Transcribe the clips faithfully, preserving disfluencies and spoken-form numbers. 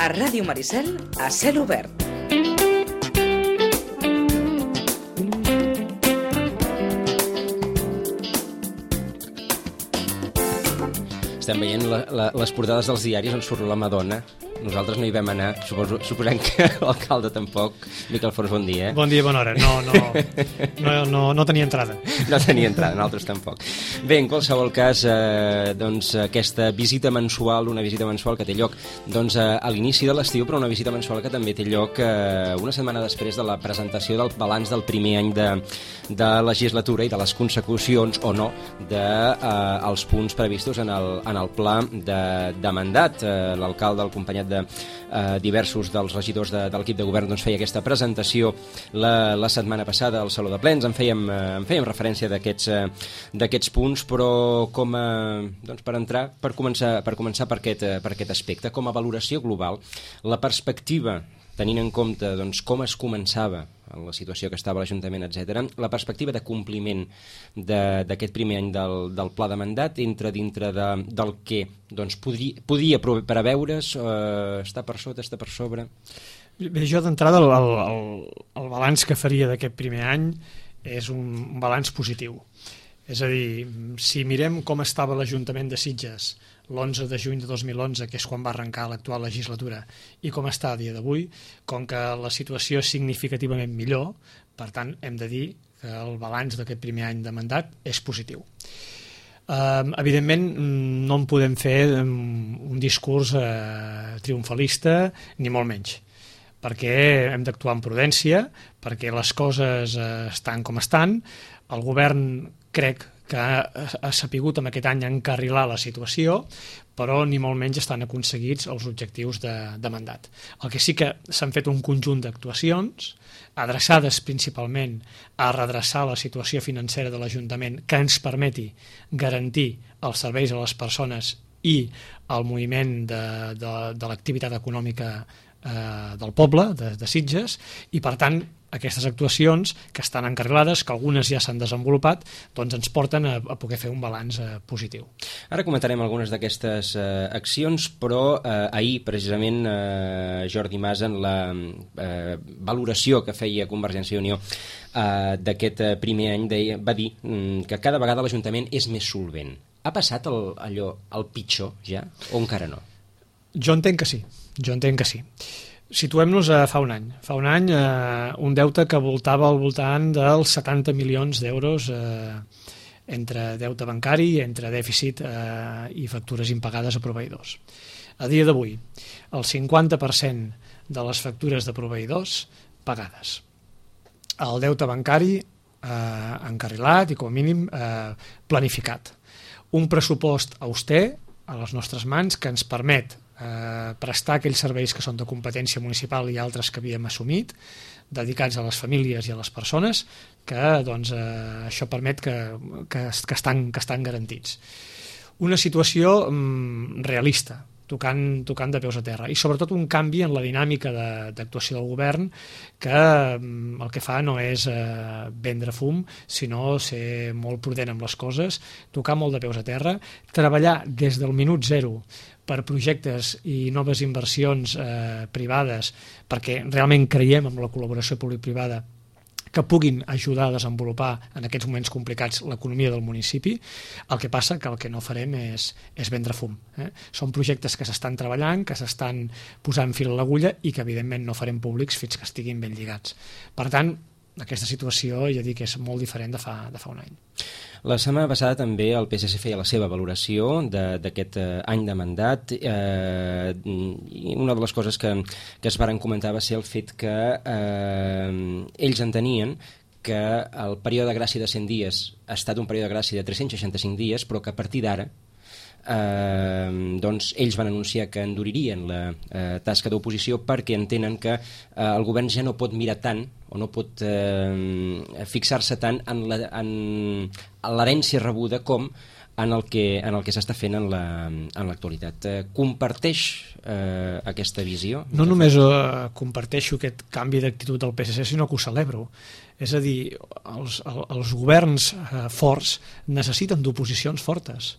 A Ràdio Maricel, a cel obert. Estem veient la, la, les portades dels diaris on surt la Madonna. Nosaltres no hi vam anar, suposo, suposem que l'alcalde tampoc. Miquel Fons, bon dia. Eh? Bon dia, bona hora. No, no, no, no, no tenia entrada. No tenia entrada, nosaltres tampoc. Bé, en qualsevol cas, eh, doncs, aquesta visita mensual, una visita mensual que té lloc doncs, a l'inici de l'estiu, però una visita mensual que també té lloc eh, una setmana després de la presentació del balanç del primer any de, de legislatura i de les consecucions o no dels de, eh, punts previstos en el, en el pla de, de mandat. Eh, l'alcalde, el acompanyat de de eh, diversos dels regidors de, de l'equip de govern doncs feia aquesta presentació la, la setmana passada al Saló de Plens. En fèiem, eh, en fèiem referència d'aquests eh, d'aquests punts, però com a, doncs per entrar, per començar, per començar per aquest, eh, per aquest aspecte, com a valoració global, la perspectiva, tenint en compte doncs, com es començava en la situació que estava l'Ajuntament, etcètera, la perspectiva de compliment d'aquest primer any del, del pla de mandat entra dintre de, del que doncs, podria, podia preveure's, eh, està per sota, està per sobre? Bé, jo d'entrada el, el, el balanç que faria d'aquest primer any és un, un balanç positiu. És a dir, si mirem com estava l'Ajuntament de Sitges l'onze de juny de dos mil onze, que és quan va arrencar l'actual legislatura, i com està a dia d'avui, com que la situació és significativament millor, per tant, hem de dir que el balanç d'aquest primer any de mandat és positiu. Uh, evidentment, no en podem fer un discurs uh, triomfalista, ni molt menys, perquè hem d'actuar amb prudència, perquè les coses uh, estan com estan. El govern, crec que ha, ha sapigut amb aquest any encarrilar la situació, però ni molt menys estan aconseguits els objectius de, de mandat. El que sí que s'han fet un conjunt d'actuacions adreçades principalment a redreçar la situació financera de l'Ajuntament que ens permeti garantir els serveis a les persones i el moviment de, de, de l'activitat econòmica eh, del poble, de, de Sitges, i per tant aquestes actuacions que estan encarrilades, que algunes ja s'han desenvolupat, doncs ens porten a, a poder fer un balanç eh, positiu. Ara comentarem algunes d'aquestes eh, accions, però eh, ahir precisament eh, Jordi Mas en la eh, valoració que feia Convergència i Unió eh, d'aquest eh, primer any deia, va dir mm, que cada vegada l'Ajuntament és més solvent. Ha passat el, allò, el pitjor ja o encara no? Jo entenc que sí, jo entenc que sí. Situem-nos a fa un any. Fa un any eh, un deute que voltava al voltant dels setanta milions d'euros eh, entre deute bancari, entre dèficit eh, i factures impagades a proveïdors. A dia d'avui, el cinquanta per cent de les factures de proveïdors pagades. El deute bancari eh, encarrilat i com a mínim eh, planificat. Un pressupost auster a les nostres mans que ens permet Eh, prestar aquells serveis que són de competència municipal i altres que havíem assumit, dedicats a les famílies i a les persones, que doncs, eh, això permet que, que, que, estan, que estan garantits. Una situació mm, realista, tocant, tocant de peus a terra, i sobretot un canvi en la dinàmica d'actuació del govern que mm, el que fa no és eh, vendre fum, sinó ser molt prudent amb les coses, tocar molt de peus a terra, treballar des del minut zero per projectes i noves inversions eh, privades, perquè realment creiem en la col·laboració públic-privada que puguin ajudar a desenvolupar en aquests moments complicats l'economia del municipi. El que passa que el que no farem és, és vendre fum. Eh? Són projectes que s'estan treballant, que s'estan posant fil a l'agulla i que evidentment no farem públics fins que estiguin ben lligats. Per tant, aquesta situació ja dic que és molt diferent de fa, de fa un any. La setmana passada també el P S C feia la seva valoració d'aquest eh, any de mandat. Eh, i una de les coses que, que es varen comentar va ser el fet que eh, ells entenien que el període de gràcia de cent dies ha estat un període de gràcia de tres-cents seixanta-cinc dies, però que a partir d'ara Eh, doncs ells van anunciar que enduririen la eh, tasca d'oposició perquè entenen que eh, el govern ja no pot mirar tant o no pot eh, fixar-se tant en l'herència rebuda com en el que, en el que s'està fent en l'actualitat. La, eh, comparteix eh, aquesta visió? No només eh, comparteixo aquest canvi d'actitud del P S C, sinó que ho celebro. És a dir, els, els governs eh, forts necessiten d'oposicions fortes.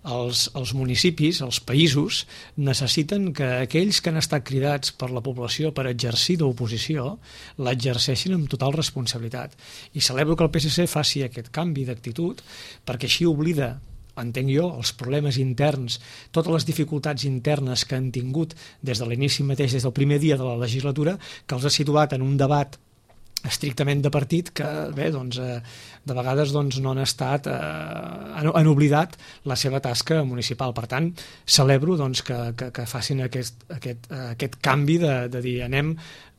els, els municipis, els països, necessiten que aquells que han estat cridats per la població per exercir d'oposició l'exerceixin amb total responsabilitat. I celebro que el P S C faci aquest canvi d'actitud, perquè així oblida, entenc jo, els problemes interns, totes les dificultats internes que han tingut des de l'inici mateix, des del primer dia de la legislatura, que els ha situat en un debat estrictament de partit que, bé, doncs, eh, de vegades doncs, no han estat, eh, han, han oblidat la seva tasca municipal. Per tant, celebro doncs, que, que, que facin aquest, aquest, aquest canvi de, de dir anem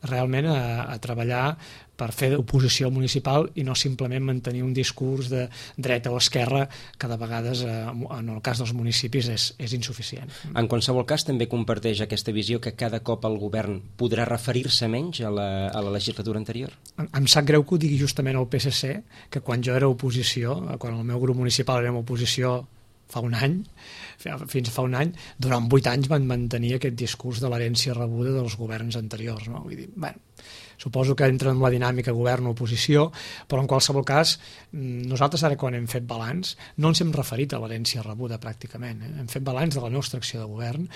realment a, a treballar per fer oposició municipal i no simplement mantenir un discurs de dreta o esquerra que de vegades, eh, en el cas dels municipis, és, és insuficient. En qualsevol cas, també comparteix aquesta visió que cada cop el govern podrà referir-se menys a la, a la legislatura anterior? Em, em sap greu que ho digui justament el P S C, que quan jo era oposició, quan el meu grup municipal era oposició fa un any, fins fa un any, durant vuit anys van mantenir aquest discurs de l'herència rebuda dels governs anteriors. No? Vull dir, bueno, suposo que entra en la dinàmica govern-oposició, però en qualsevol cas, nosaltres ara quan hem fet balanç no ens hem referit a l'herència rebuda pràcticament, eh? Hem fet balanç de la nostra acció de govern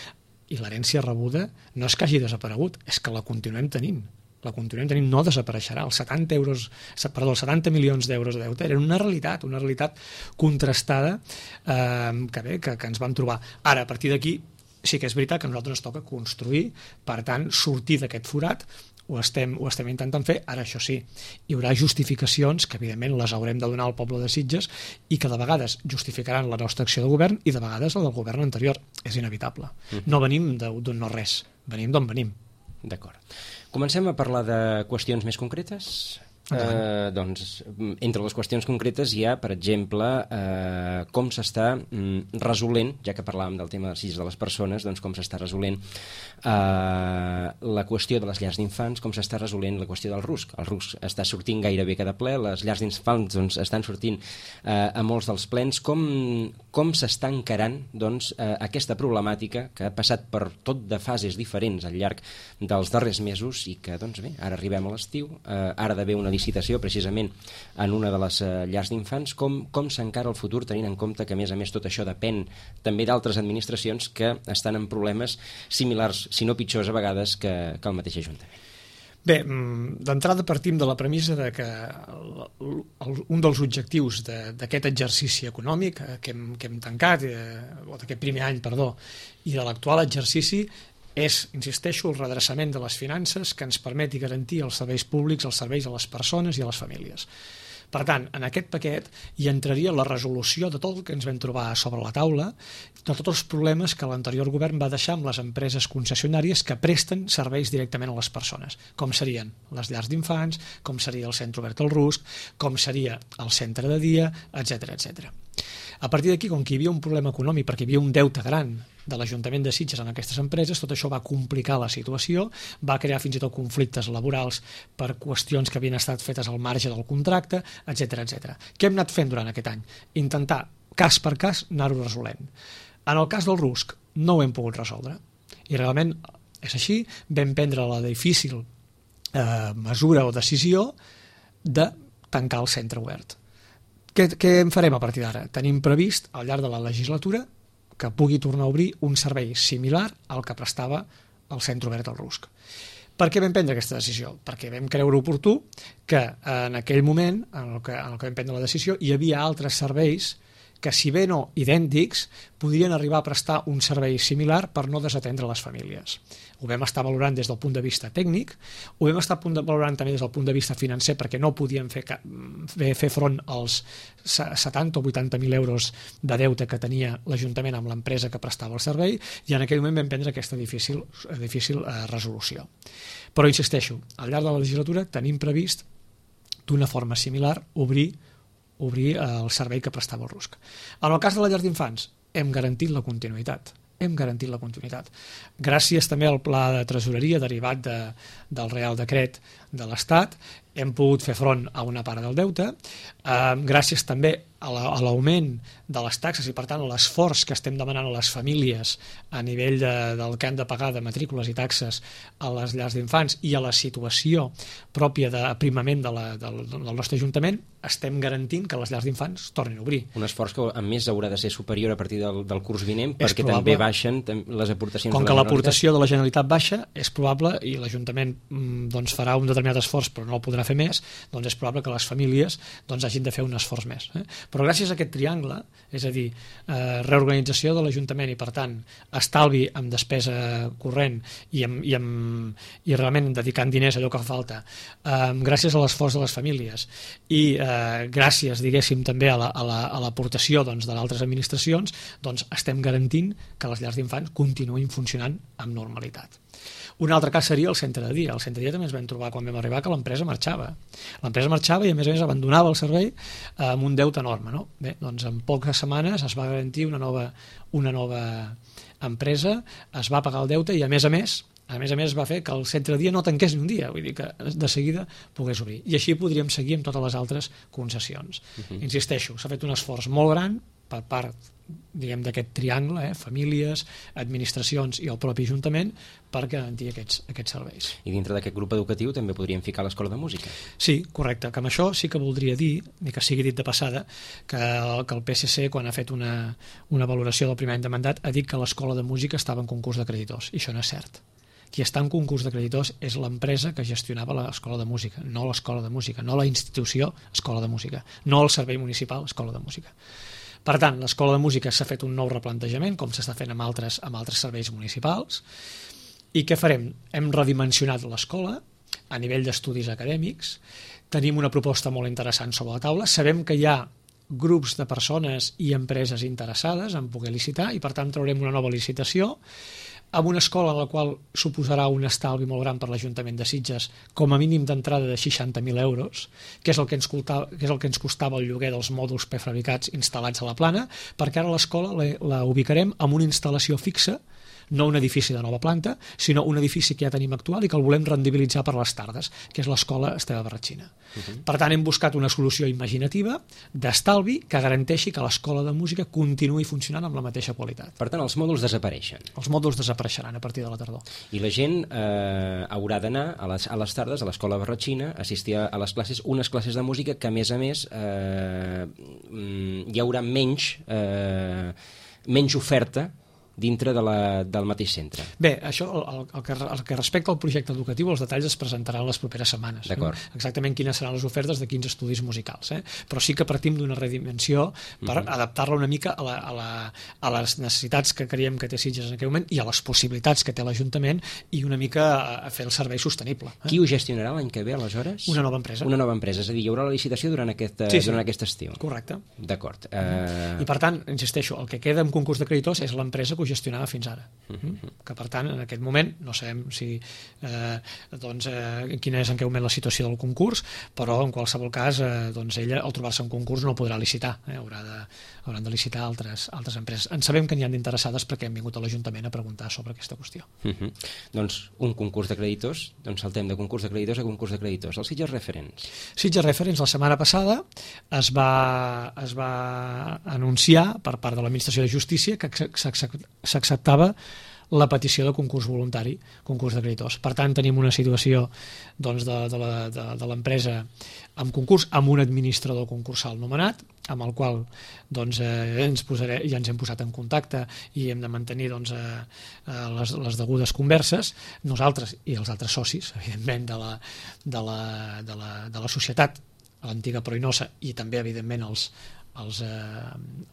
i l'herència rebuda no és que hagi desaparegut, és que la continuem tenint. La continuem tenint, no desapareixerà. Els setanta euros, perdó, els setanta milions d'euros de deute eren una realitat, una realitat contrastada eh, que bé, que, que ens vam trobar. Ara, a partir d'aquí, sí que és veritat que a nosaltres ens toca construir, per tant, sortir d'aquest forat, ho estem, ho estem intentant fer. Ara, això sí, hi haurà justificacions que evidentment les haurem de donar al poble de Sitges i que de vegades justificaran la nostra acció de govern i de vegades la del govern anterior. És inevitable. Mm. No venim d'un no res, venim d'on venim. D'acord. Comencem a parlar de qüestions més concretes? Eh, doncs, entre les qüestions concretes hi ha, per exemple, eh, com s'està mm, resolent, ja que parlàvem del tema dels Sitges de les persones, doncs com s'està resolent eh, la qüestió de les llars d'infants, com s'està resolent la qüestió del rusc. El rusc està sortint gairebé cada ple, les llars d'infants doncs, estan sortint eh, a molts dels plens. Com, com s'està encarant doncs, eh, aquesta problemàtica que ha passat per tot de fases diferents al llarg dels darrers mesos i que, doncs bé, ara arribem a l'estiu, eh, ara d'haver una licitació precisament en una de les uh, llars d'infants, com, com s'encara el futur tenint en compte que a més a més tot això depèn també d'altres administracions que estan en problemes similars, si no pitjors a vegades que, que el mateix Ajuntament? Bé, d'entrada partim de la premissa de que el, el, un dels objectius d'aquest de, exercici econòmic que hem, que hem tancat, eh, o d'aquest primer any, perdó, i de l'actual exercici és, insisteixo, el redreçament de les finances que ens permeti garantir els serveis públics, els serveis a les persones i a les famílies. Per tant, en aquest paquet hi entraria la resolució de tot el que ens vam trobar sobre la taula, de tots els problemes que l'anterior govern va deixar amb les empreses concessionàries que presten serveis directament a les persones, com serien les llars d'infants, com seria el centre obert al rusc, com seria el centre de dia, etcètera, etcètera. A partir d'aquí, com que hi havia un problema econòmic, perquè hi havia un deute gran de l'Ajuntament de Sitges en aquestes empreses, tot això va complicar la situació, va crear fins i tot conflictes laborals per qüestions que havien estat fetes al marge del contracte, etcètera, etcètera. Què hem anat fent durant aquest any? Intentar, cas per cas, anar-ho resolent. En el cas del rusc, no ho hem pogut resoldre. I realment és així, vam prendre la difícil eh, mesura o decisió de tancar el centre obert. Què, què en farem a partir d'ara? Tenim previst, al llarg de la legislatura, que pugui tornar a obrir un servei similar al que prestava el centre obert al rusc. Per què vam prendre aquesta decisió? Perquè vam creure oportú que en aquell moment, en el que, en el que vam prendre la decisió, hi havia altres serveis que, si bé no idèntics, podrien arribar a prestar un servei similar per no desatendre les famílies. Ho vam estar valorant des del punt de vista tècnic, ho vam estar valorant també des del punt de vista financer, perquè no podíem fer, fer front als setanta o vuitanta mil euros de deute que tenia l'Ajuntament amb l'empresa que prestava el servei, i en aquell moment vam prendre aquesta difícil, difícil eh, resolució. Però insisteixo, al llarg de la legislatura tenim previst d'una forma similar obrir obrir el servei que prestava el rusc. En el cas de la llar d'infants, hem garantit la continuïtat. Hem garantit la continuïtat. Gràcies també al pla de tresoreria derivat de, del Real Decret de l'Estat, hem pogut fer front a una part del deute, eh, gràcies també a l'augment de les taxes i, per tant, a l'esforç que estem demanant a les famílies a nivell de, del que han de pagar de matrícules i taxes a les llars d'infants i a la situació pròpia d'aprimament de la, del, del nostre Ajuntament, estem garantint que les llars d'infants tornin a obrir. Un esforç que a més haurà de ser superior a partir del, del curs vinent, És perquè probable. també baixen les aportacions Com de que la l'aportació de la Generalitat baixa, és probable, i l'Ajuntament mm, doncs, farà un determinat esforç però no el podrà fer més, doncs és probable que les famílies doncs, hagin de fer un esforç més. Eh? Però gràcies a aquest triangle, és a dir, eh, reorganització de l'Ajuntament i per tant estalvi amb despesa corrent i, amb, i, amb, i realment dedicant diners a allò que fa falta, eh, gràcies a l'esforç de les famílies i eh, gràcies, diguéssim, també a l'aportació la, a la, doncs, de d'altres administracions, doncs estem garantint que les llars d'infants continuïn funcionant amb normalitat. Un altre cas seria el centre de dia. El centre de dia també ens vam trobar quan vam arribar que l'empresa marxava. L'empresa marxava i a més a més abandonava el servei amb un deute enorme. No? Bé, doncs en poques setmanes es va garantir una nova, una nova empresa, es va pagar el deute i a més a més a més a més va fer que el centre de dia no tanqués ni un dia, vull dir que de seguida pogués obrir. I així podríem seguir amb totes les altres concessions. Uh-huh. Insisteixo, s'ha fet un esforç molt gran per part, diguem, d'aquest triangle, eh, famílies, administracions i el propi Ajuntament, per garantir aquests, aquests serveis. I dintre d'aquest grup educatiu també podríem ficar l'escola de música. Sí, correcte, que amb això sí que voldria dir, ni que sigui dit de passada, que el, que el P S C, quan ha fet una, una valoració del primer any de mandat, ha dit que l'escola de música estava en concurs de creditors, i això no és cert. Qui està en concurs de creditors és l'empresa que gestionava l'escola de música, no l'escola de música, no la institució escola de música, no el servei municipal escola de música. Per tant, l'escola de música s'ha fet un nou replantejament, com s'està fent amb altres, amb altres serveis municipals, i què farem? Hem redimensionat l'escola a nivell d'estudis acadèmics, tenim una proposta molt interessant sobre la taula, sabem que hi ha grups de persones i empreses interessades en poder licitar i per tant traurem una nova licitació amb una escola en la qual suposarà un estalvi molt gran per l'Ajuntament de Sitges, com a mínim d'entrada de seixanta mil euros, que és el que ens costava, que és el que ens costava el lloguer dels mòduls prefabricats instal·lats a la plana, perquè ara l'escola la, la ubicarem amb una instal·lació fixa, no un edifici de nova planta, sinó un edifici que ja tenim actual i que el volem rendibilitzar per les tardes, que és l'escola Esteve Barratxina. Uh-huh. Per tant, hem buscat una solució imaginativa d'estalvi que garanteixi que l'escola de música continuï funcionant amb la mateixa qualitat. Per tant, els mòduls desapareixen. Els mòduls desapareixeran a partir de la tardor. I la gent eh, haurà d'anar a les, a les tardes a l'escola Barratxina, assistir a les classes, unes classes de música que, a més a més, eh, hi haurà menys, eh, menys oferta dintre de la, del mateix centre. Bé, això, el, el, que, el que respecta al projecte educatiu, els detalls es presentaran les properes setmanes. D'acord. No? Exactament quines seran les ofertes de quins estudis musicals. Eh? Però sí que partim d'una redimensió per uh-huh. adaptar-la una mica a, la, a, la, a les necessitats que creiem que té Sitges en aquell moment i a les possibilitats que té l'Ajuntament i una mica a fer el servei sostenible. Eh? Qui ho gestionarà l'any que ve, aleshores? Una nova empresa. Una nova empresa, és a dir, hi haurà la licitació durant aquest, sí, sí. durant aquest estiu. Correcte. D'acord. Uh... I per tant, insisteixo, el que queda en concurs de creditors és l'empresa que ho gestionava fins ara. Uh-huh. Que per tant en aquest moment no sabem si eh, doncs, eh, quina és en què moment la situació del concurs, però en qualsevol cas eh, doncs ella al trobar-se en concurs no podrà licitar, eh, haurà de, hauran de licitar altres, altres empreses. En sabem que n'hi han d'interessades perquè hem vingut a l'Ajuntament a preguntar sobre aquesta qüestió. Uh-huh. Doncs un concurs de creditors, doncs saltem de concurs de creditors a concurs de creditors. Els Sitges Referents. Sitges Referents la setmana passada es va, es va anunciar per part de l'Administració de Justícia que s'acceptava la petició de concurs voluntari, concurs de creditors. Per tant, tenim una situació doncs, de, de, la, de, de l'empresa amb concurs, amb un administrador concursal nomenat, amb el qual doncs, eh, ens posaré, ja ens hem posat en contacte i hem de mantenir doncs, eh, les, les degudes converses, nosaltres i els altres socis, evidentment, de la, de la, de la, de la societat, l'antiga Proinosa, i també, evidentment, els, els, eh,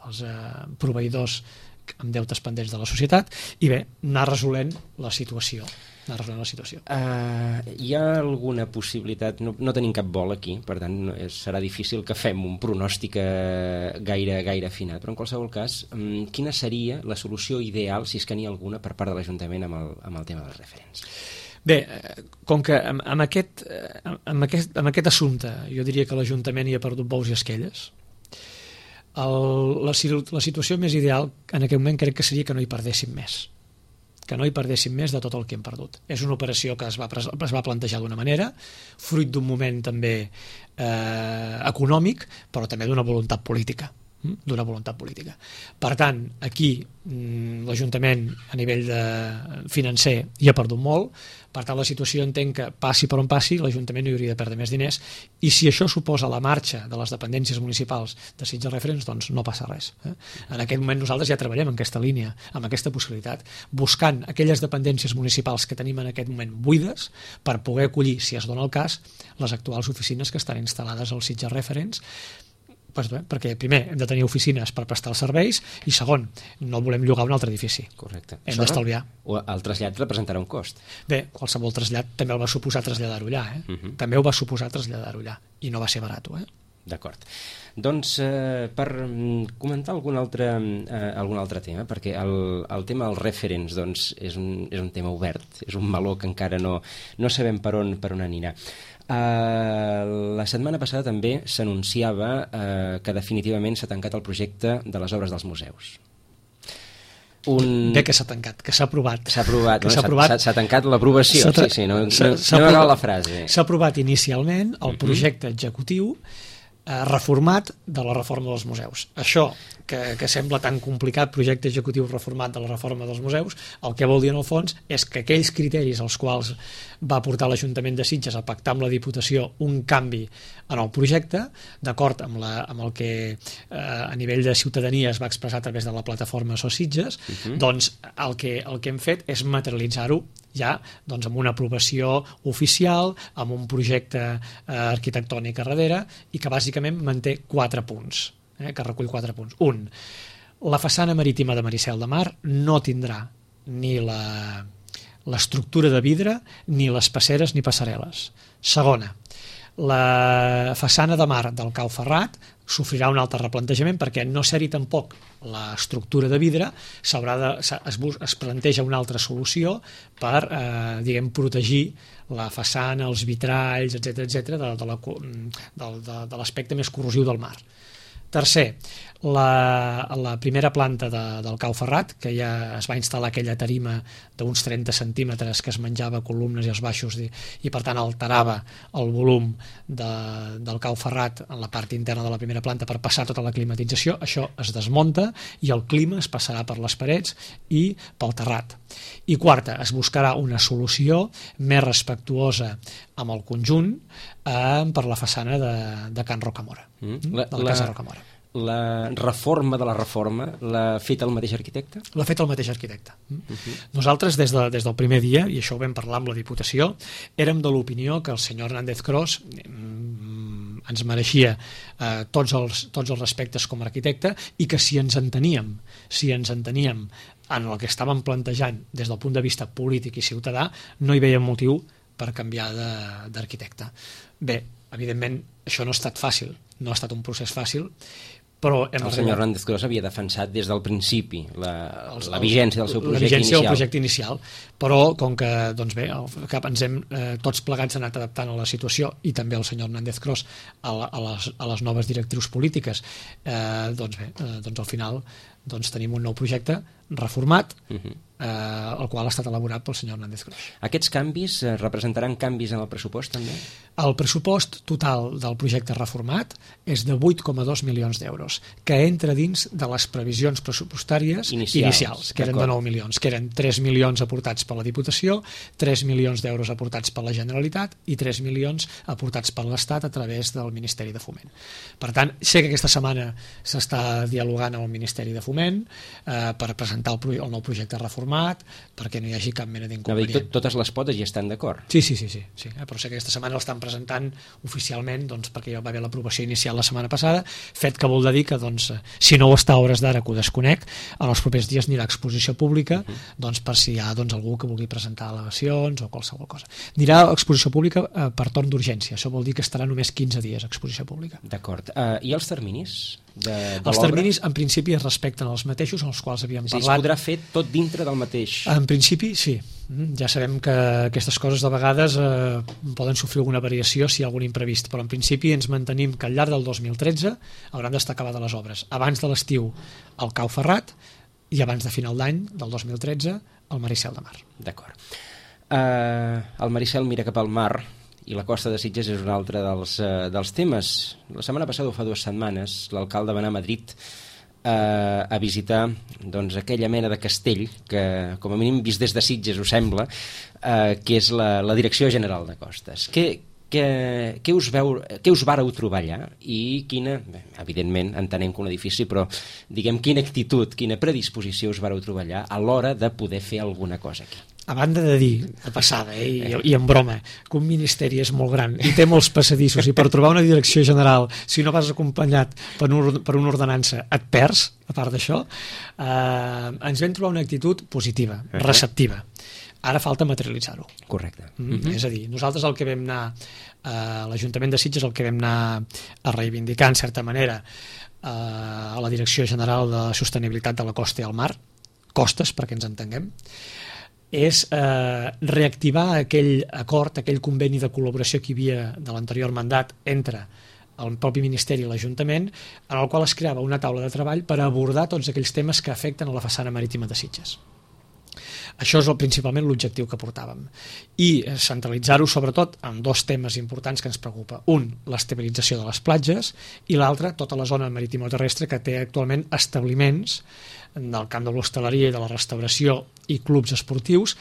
els eh, proveïdors amb deutes pendents de la societat, i bé, anar resolent la situació. Anar resolent la situació. Uh, hi ha alguna possibilitat, no, no tenim cap bol aquí, per tant no, serà difícil que fem un pronòstic gaire, gaire afinat, però en qualsevol cas, um, quina seria la solució ideal, si és que n'hi ha alguna, per part de l'Ajuntament amb el, amb el tema dels referents? Bé, com que amb, amb, aquest, amb, aquest, amb aquest assumpte jo diria que l'Ajuntament hi ha perdut bous i esquelles. El, la, la situació més ideal en aquell moment crec que seria que no hi perdéssim més, que no hi perdéssim més de tot el que hem perdut. És una operació que es va, es va plantejar d'una manera, fruit d'un moment també eh, econòmic, però també d'una voluntat política. d'una voluntat política. Per tant, aquí l'Ajuntament a nivell de financer hi ha perdut molt, per tant la situació entenc que passi per on passi l'Ajuntament no hi hauria de perdre més diners, i si això suposa la marxa de les dependències municipals de Sitges Referents, doncs no passa res. Eh? En aquest moment nosaltres ja treballem en aquesta línia, amb aquesta possibilitat, buscant aquelles dependències municipals que tenim en aquest moment buides per poder acollir, si es dona el cas, les actuals oficines que estan instal·lades als Sitges Referents, pues bé, perquè primer hem de tenir oficines per prestar els serveis i segon, no volem llogar un altre edifici. Correcte. Hem d'estalviar. El trasllat representarà un cost. Bé, qualsevol trasllat també el va suposar traslladar-ho allà, eh? Uh-huh. També ho va suposar traslladar-ho allà i no va ser barat, eh? D'acord. Doncs eh, per comentar algun altre, eh, algun altre tema, perquè el, el tema dels referents doncs, és, un, és un tema obert, és un meló que encara no, no sabem per on, per on anirà. Uh, la setmana passada també s'anunciava uh, que definitivament s'ha tancat el projecte de les obres dels museus. Un... Bé que s'ha tancat, que s'ha aprovat. S'ha aprovat, que no? s'ha aprovat. S'ha tancat l'aprovació, sí, sí, no, no, no m'ha acabat la frase. S'ha aprovat inicialment el projecte executiu eh, reformat de la reforma dels museus. Això, que, que sembla tan complicat, projecte executiu reformat de la reforma dels museus, el que vol dir en el fons és que aquells criteris als quals va portar l'Ajuntament de Sitges a pactar amb la Diputació un canvi en el projecte, d'acord amb, la, amb el que eh, a nivell de ciutadania es va expressar a través de la plataforma So Sitges, uh-huh. doncs el que, el que hem fet és materialitzar-ho ja doncs, amb una aprovació oficial, amb un projecte eh, arquitectònic a darrere i que bàsicament manté quatre punts, eh, que recull quatre punts. Un, la façana marítima de Maricel de Mar no tindrà ni la l'estructura de vidre, ni les passeres ni passarel·les. Segona, la façana de mar del Cau Ferrat sofrirà un altre replantejament perquè no ser-hi tampoc l'estructura de vidre, s'haurà de, es, es planteja una altra solució per eh, diguem, protegir la façana, els vitralls, etcètera, etcètera, de, de, la, de, de, de l'aspecte més corrosiu del mar. Tercer, la, la primera planta de, del Cau Ferrat, que ja es va instal·lar aquella tarima d'uns trenta centímetres que es menjava columnes i els baixos i, i per tant alterava el volum de, del Cau Ferrat en la part interna de la primera planta per passar tota la climatització, això es desmunta i el clima es passarà per les parets i pel terrat. I quarta, es buscarà una solució més respectuosa amb el conjunt eh, per la façana de, de Can Rocamora, mm. la, de la Casa la... Rocamora. La reforma de la reforma l'ha fet el mateix arquitecte? L'ha fet el mateix arquitecte. Uh-huh. Nosaltres, des, de, des del primer dia, i això ho vam parlar amb la Diputació, érem de l'opinió que el senyor Hernández Cros mm, ens mereixia eh, tots, els, tots els respectes com a arquitecte i que si ens enteníem, si ens enteníem en el que estàvem plantejant des del punt de vista polític i ciutadà, no hi veiem motiu per canviar d'arquitecte. Bé, evidentment, això no ha estat fàcil, no ha estat un procés fàcil, però hem el senyor Hernández Cros havia defensat des del principi la, els, la vigència del seu projecte la vigència inicial. del projecte inicial, però com que doncs bé, el cap ens hem eh, tots plegats anat adaptant a la situació i també el senyor Hernández Cros a, la, a, les, a les noves directrius polítiques, eh, doncs bé, eh, doncs al final doncs tenim un nou projecte reformat, uh-huh. eh, el qual ha estat elaborat pel senyor Hernández Cros. Aquests canvis eh, representaran canvis en el pressupost també? El pressupost total del projecte reformat és de vuit coma dos milions d'euros, que entra dins de les previsions pressupostàries inicials, inicials que eren de nou milions, que eren tres milions aportats per la Diputació, tres milions d'euros aportats per la Generalitat i tres milions aportats per l'Estat a través del Ministeri de Foment. Per tant, sé que aquesta setmana s'està dialogant amb el Ministeri de Foment eh, per presentar el, el nou projecte reformat perquè no hi hagi cap mena d'inconvenient. Tot, totes les potes hi estan d'acord? Sí, sí, sí, sí, sí eh, però sé que aquesta setmana l'estan presentant oficialment doncs, perquè ja va haver l'aprovació inicial la setmana passada, fet que vol dir que doncs, si no ho està a hores d'ara que ho desconec, en els propers dies anirà a exposició pública uh-huh. doncs, per si hi ha doncs, algú que vulgui presentar al·legacions o qualsevol cosa. Anirà a exposició pública eh, per torn d'urgència, això vol dir que estarà només quinze dies a exposició pública. D'acord. Uh, I els terminis? De, de els terminis en principi es respecten els mateixos en els quals havíem sí, parlat. Es podrà fer tot dintre del mateix? En principi sí, ja sabem que aquestes coses de vegades eh, poden sofrir alguna variació si hi ha algun imprevist, però en principi ens mantenim que al llarg del dos mil tretze hauran d'estar acabades les obres, abans de l'estiu al Cau Ferrat i abans de final d'any del dos mil tretze al Maricel de Mar. D'acord. Uh, el Maricel mira cap al mar i la costa de Sitges és un altre dels, uh, dels temes. La setmana passada, o fa dues setmanes, l'alcalde va anar a Madrid Uh, a visitar doncs, aquella mena de castell que, com a mínim vist des de Sitges ho sembla, uh, que és la, la Direcció General de Costes. Què, què, què, us veu, què us vàreu trobar allà i quina, bé, evidentment entenem que un edifici, però diguem quina actitud, quina predisposició us vàreu trobar allà a l'hora de poder fer alguna cosa aquí? A banda de dir, de passada, eh, i, i en broma, que un ministeri és molt gran i té molts passadissos i per trobar una direcció general, si no vas acompanyat per, un, per una ordenança, et perds, a part d'això, eh, ens vam trobar una actitud positiva, uh-huh. receptiva. Ara falta materialitzar-ho. Correcte. Mm, uh-huh. És a dir, nosaltres el que vam anar, eh, l'Ajuntament de Sitges el que vam anar a reivindicar, en certa manera, eh, a la Direcció General de Sostenibilitat de la Costa i el Mar, costes, perquè ens entenguem, és eh, reactivar aquell acord, aquell conveni de col·laboració que hi havia de l'anterior mandat entre el propi Ministeri i l'Ajuntament, en el qual es creava una taula de treball per abordar tots aquells temes que afecten a la façana marítima de Sitges. Això és el, principalment l'objectiu que portàvem. I centralitzar-ho sobretot en dos temes importants que ens preocupa. Un, l'estabilització de les platges, i l'altre, tota la zona marítima terrestre que té actualment establiments del camp de l'hostaleria i de la restauració i clubs esportius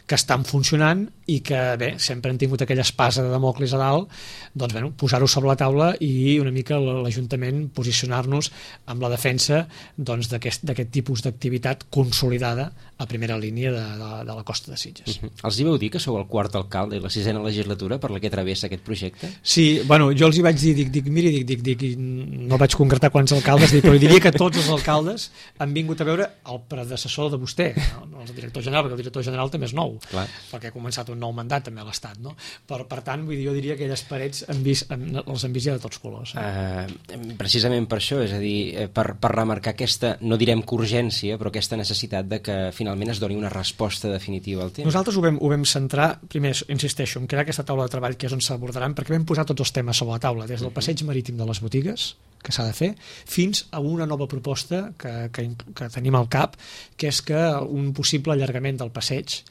que estan funcionant i que, bé, sempre han tingut aquella espasa de Damocles a dalt, doncs, bueno, posar-ho sobre la taula i una mica l'Ajuntament posicionar-nos amb la defensa doncs, d'aquest d'aquest tipus d'activitat consolidada a primera línia de, de, de la costa de Sitges. Uh-huh. Els hi veu dir que sou el quart alcalde i la sisena legislatura per la que travessa aquest projecte? Sí, bueno, jo els hi vaig dir, dic, dic miri, dic, dic, dic, no vaig concretar quants alcaldes, dic, però diria que tots els alcaldes han vingut a veure el predecessor de vostè, no, no el director general, perquè el director general també és nou. Clar. Perquè ha començat un nou mandat també a l'Estat, no? Per, per tant, vull dir, jo diria que aquelles parets han vist, els han vist ja de tots colors. Eh? Uh, precisament per això, és a dir, per, per remarcar aquesta, no direm que urgència, però aquesta necessitat de que finalment es doni una resposta definitiva al tema. Nosaltres ho vam, ho vam centrar, primer, insisteixo, en crear aquesta taula de treball que és on s'abordaran, perquè vam posar tots els temes sobre la taula, des del passeig marítim de les botigues, que s'ha de fer, fins a una nova proposta que, que, que tenim al cap, que és que un possible allargament del passeig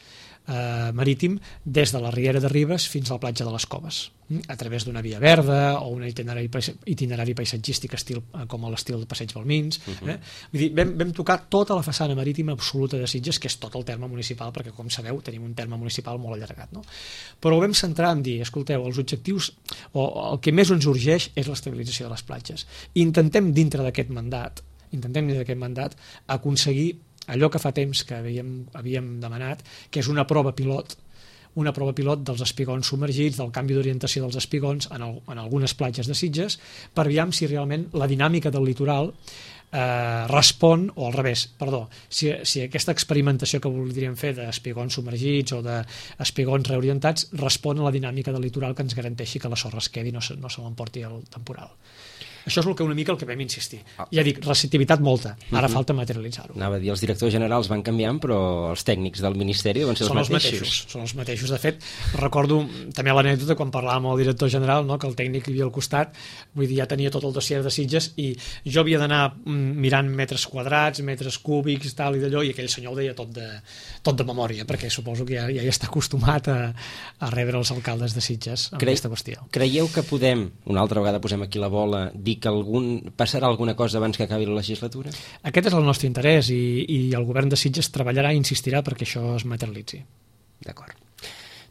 Eh, marítim des de la Riera de Ribes fins a la platja de les Coves, a través d'una via verda o un itinerari, itinerari paisatgístic estil, com l'estil de Passeig Balmins. eh? Vull dir, vam, vam tocar tota la façana marítima absoluta de Sitges, que és tot el terme municipal, perquè com sabeu tenim un terme municipal molt allargat, no? Però ho vam centrar en dir, escolteu, els objectius o el que més ens urgeix és l'estabilització de les platges. Intentem dintre d'aquest mandat intentem dintre d'aquest mandat aconseguir allò que fa temps que havíem, havíem demanat, que és una prova pilot, una prova pilot dels espigons submergits, del canvi d'orientació dels espigons en, el, en algunes platges de Sitges, per veure si realment la dinàmica del litoral eh, respon, o al revés, perdó, si, si aquesta experimentació que voldríem fer d'espigons submergits o d'espigons reorientats respon a la dinàmica del litoral que ens garanteixi que la sorra es quedi i no se, no se l'emporti el temporal. Això és el que una mica el que vam insistir. Ja dic, receptivitat molta, ara uh-huh. falta materialitzar-ho. Anava a dir, els directors generals van canviant, però els tècnics del Ministeri deuen ser els són els mateixos. mateixos. Són els mateixos. De fet, recordo també l'anècdota quan parlàvem amb el director general, no, que el tècnic que hi havia al costat, vull dir, ja tenia tot el dossier de Sitges i jo havia d'anar mirant metres quadrats, metres cúbics, tal i d'allò, i aquell senyor ho deia tot de, tot de memòria, perquè suposo que ja, ja hi està acostumat a, a rebre els alcaldes de Sitges amb Cre aquesta qüestió. Creieu que podem, una altra vegada posem aquí la bola, dir que algun, passarà alguna cosa abans que acabi la legislatura? Aquest és el nostre interès i, i el govern de Sitges treballarà i insistirà perquè això es materialitzi. D'acord.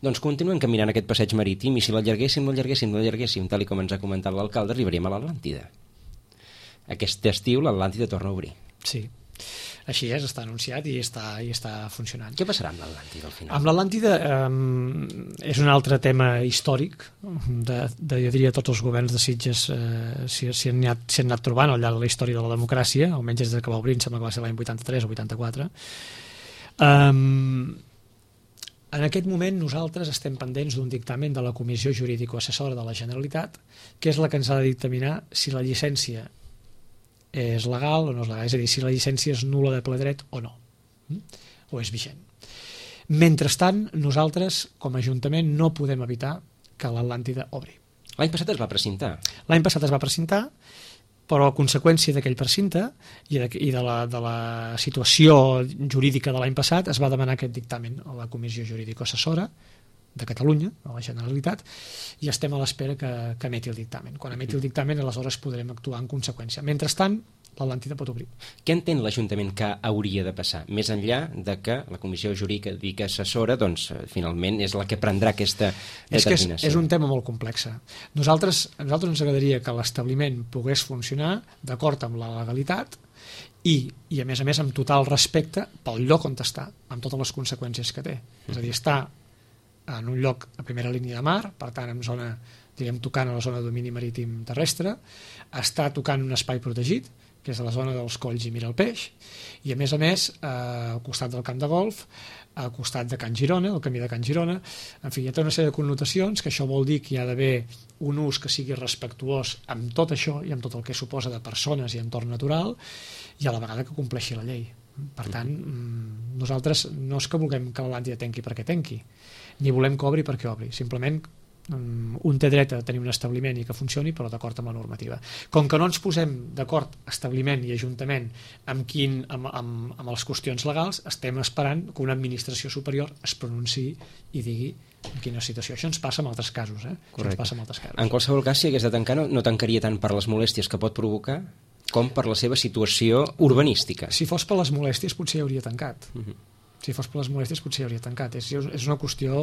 Doncs continuem caminant aquest passeig marítim i si l'allarguéssim, l'allarguéssim, l'allarguéssim, tal i com ens ha comentat l'alcalde, arribaríem a l'Atlàntida. Aquest estiu l'Atlàntida torna a obrir. Sí. Així és, està anunciat i està, i està funcionant. Què passarà amb l'Atlàntida al final? Amb l'Atlàntida eh, és un altre tema històric de, de, jo diria, tots els governs de Sitges eh, si, si, han anat, si han anat trobant al llarg de la història de la democràcia, almenys des que va obrir, em sembla que va ser l'any vuitanta-tres o vuitanta-quatre. Um, en aquest moment nosaltres estem pendents d'un dictamen de la Comissió Jurídico-Assessora de la Generalitat, que és la que ens ha de dictaminar si la llicència és legal o no és legal, és a dir, si la llicència és nul·la de ple dret o no, o és vigent. Mentrestant, nosaltres, com a Ajuntament, no podem evitar que l'Atlàntida obri. L'any passat es va precintar. L'any passat es va precintar, però a conseqüència d'aquell precinte i de, i de, la, de la situació jurídica de l'any passat es va demanar aquest dictamen a la Comissió Jurídico-Assessora de Catalunya, a la Generalitat, i estem a l'espera que, que emeti el dictamen. Quan emeti el dictamen, aleshores podrem actuar en conseqüència. Mentrestant, l'Atlàntida pot obrir. Què entén l'Ajuntament que hauria de passar? Més enllà de que la Comissió Jurídica Assessora, doncs, finalment, és la que prendrà aquesta determinació. És que és, és un tema molt complex. Nosaltres, a nosaltres ens agradaria que l'establiment pogués funcionar d'acord amb la legalitat i, i, a més a més, amb total respecte pel lloc on està, amb totes les conseqüències que té. És a dir, està en un lloc a primera línia de mar, per tant, en zona, direm, tocant a la zona de domini marítim terrestre, està tocant un espai protegit, que és a la zona dels Colls i Mira el Peix, i a més a més, eh, al costat del camp de golf, al costat de Can Girona, el camí de Can Girona, en fi, hi ha tota una sèrie de connotacions, que això vol dir que hi ha d'haver un ús que sigui respectuós amb tot això i amb tot el que suposa de persones i entorn natural, i a la vegada que compleixi la llei. Per tant, nosaltres no és que vulguem que l'Atlàntida tanqui perquè tanqui, ni volem que obri perquè obri, simplement un té dret a tenir un establiment i que funcioni, però d'acord amb la normativa. Com que no ens posem d'acord establiment i ajuntament amb, quin, amb, amb, amb les qüestions legals, estem esperant que una administració superior es pronunciï i digui en quina situació. Això ens passa en altres casos, eh? Això ens passa en altres casos. En qualsevol cas, si hagués de tancar, no, no tancaria tant per les molèsties que pot provocar com per la seva situació urbanística. Si fos per les molèsties potser hauria tancat. Uh-huh. Si fos per les molèsties potser hauria tancat. És, és una qüestió